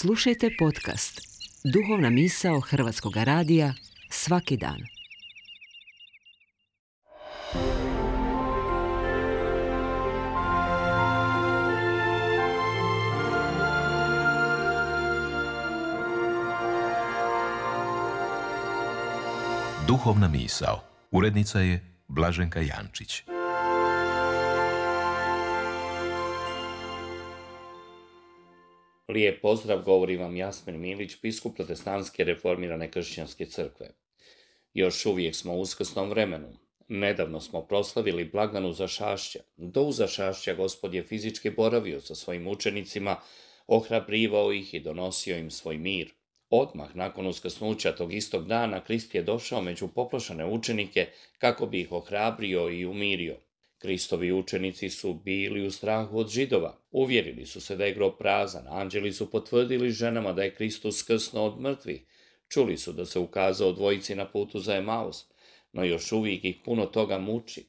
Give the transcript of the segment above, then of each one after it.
Slušajte podcast Duhovna misao Hrvatskog radija svaki dan. Duhovna misao. Urednica je Blaženka Jančić. Lijep pozdrav, govori vam Jasmin Milić, biskup Protestantske reformirane kršćanske crkve. Još uvijek smo u uskrsnom vremenu. Nedavno smo proslavili blagdan Uzašašća. Do Uzašašća Gospod je fizički boravio sa svojim učenicima, ohrabrivao ih i donosio im svoj mir. Odmah nakon uskrsnuća tog istog dana Krist je došao među poplašene učenike kako bi ih ohrabrio i umirio. Kristovi učenici su bili u strahu od Židova. Uvjerili su se da je grob prazan. Anđeli su potvrdili ženama da je Krist uskrsnuo od mrtvih. Čuli su da se ukazao dvojici na putu za Emaus, no još uvijek ih puno toga muči.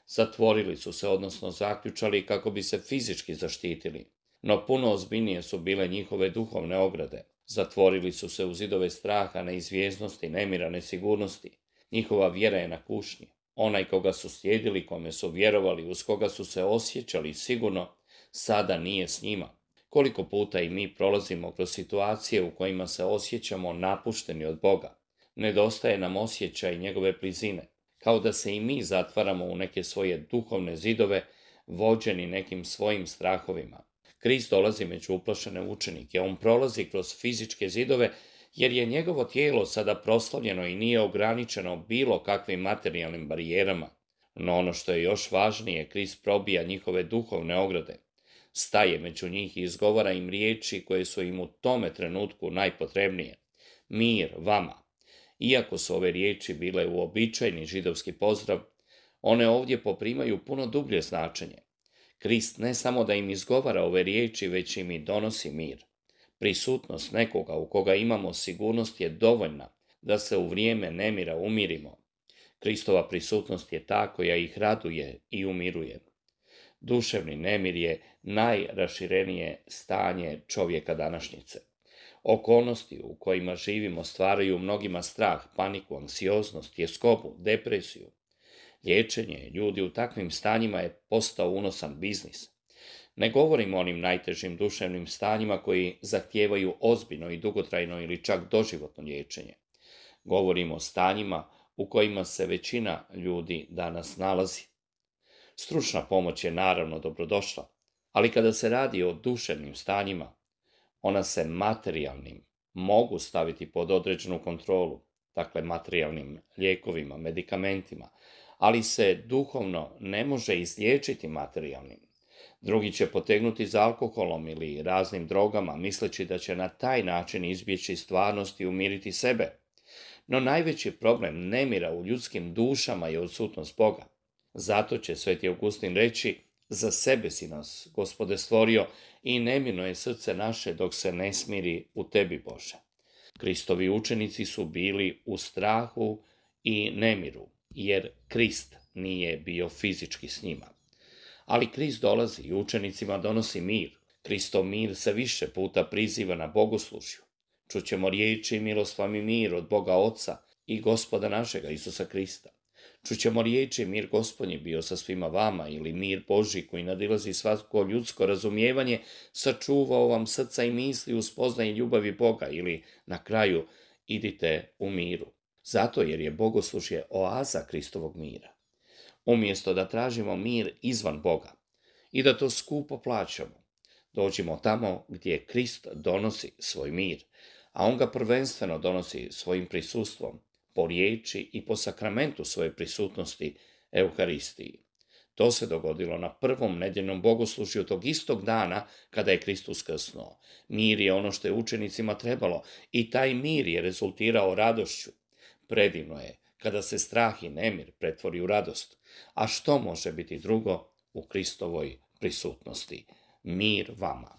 Zatvorili su se, odnosno zaključali kako bi se fizički zaštitili. No puno ozbiljnije su bile njihove duhovne ograde. Zatvorili su se u zidove straha, neizvjesnosti, nemira, nesigurnosti. Njihova vjera je na kušnji. Onaj koga su slijedili, kome su vjerovali, uz koga su se osjećali sigurno, sada nije s njima. Koliko puta i mi prolazimo kroz situacije u kojima se osjećamo napušteni od Boga. Nedostaje nam osjećaj njegove blizine, kao da se i mi zatvaramo u neke svoje duhovne zidove, vođeni nekim svojim strahovima. Krist dolazi među uplašene učenike, on prolazi kroz fizičke zidove, jer je njegovo tijelo sada proslavljeno i nije ograničeno bilo kakvim materijalnim barijerama. No ono što je još važnije, Krist probija njihove duhovne ograde. Staje među njih i izgovara im riječi koje su im u tome trenutku najpotrebnije. Mir vama. Iako su ove riječi bile uobičajeni židovski pozdrav, one ovdje poprimaju puno dublje značenje. Krist ne samo da im izgovara ove riječi, već im i donosi mir. Prisutnost nekoga u koga imamo sigurnost je dovoljna da se u vrijeme nemira umirimo. Kristova prisutnost je ta koja ih raduje i umiruje. Duševni nemir je najraširenije stanje čovjeka današnjice. Okolnosti u kojima živimo stvaraju mnogima strah, paniku, anksioznost, tjeskobu, depresiju. Liječenje ljudi u takvim stanjima je postao unosan biznis. Ne govorim o onim najtežim duševnim stanjima koji zahtijevaju ozbiljno i dugotrajno ili čak doživotno liječenje. Govorim o stanjima u kojima se većina ljudi danas nalazi. Stručna pomoć je naravno dobrodošla, ali kada se radi o duševnim stanjima, ona se materijalnim mogu staviti pod određenu kontrolu, dakle materijalnim lijekovima, medikamentima, ali se duhovno ne može izliječiti materijalnim. Drugi će potegnuti za alkoholom ili raznim drogama, misleći da će na taj način izbjeći stvarnost i umiriti sebe. No najveći problem nemira u ljudskim dušama je odsutnost Boga. Zato će Sveti Augustin reći: za sebe si nas, Gospode, stvorio i nemirno je srce naše dok se ne smiri u tebi, Bože. Kristovi učenici su bili u strahu i nemiru, jer Krist nije bio fizički s njima. Ali Krist dolazi i učenicima donosi mir. Kristov mir se više puta priziva na bogoslužju. Čućemo riječi: milost vam i mir od Boga Oca i Gospoda našega Isusa Krista. Čućemo riječi: mir Gospodnji bio sa svima vama, ili mir Božji koji nadilazi svako ljudsko razumijevanje, sačuvao vam srca i misli u spoznaji ljubavi Boga, ili na kraju: idite u miru. Zato jer je bogoslužje oaza Kristovog mira. Umjesto da tražimo mir izvan Boga i da to skupo plaćamo, dođimo tamo gdje Krist donosi svoj mir, a on ga prvenstveno donosi svojim prisustvom, po riječi i po sakramentu svoje prisutnosti, Euharistiji. To se dogodilo na prvom nedjeljnom bogoslužju tog istog dana kada je Krist uskrsnuo. Mir je ono što je učenicima trebalo i taj mir je rezultirao radošću. Predivno je kada se strah i nemir pretvori u radost. A što može biti drugo u Kristovoj prisutnosti? Mir vama.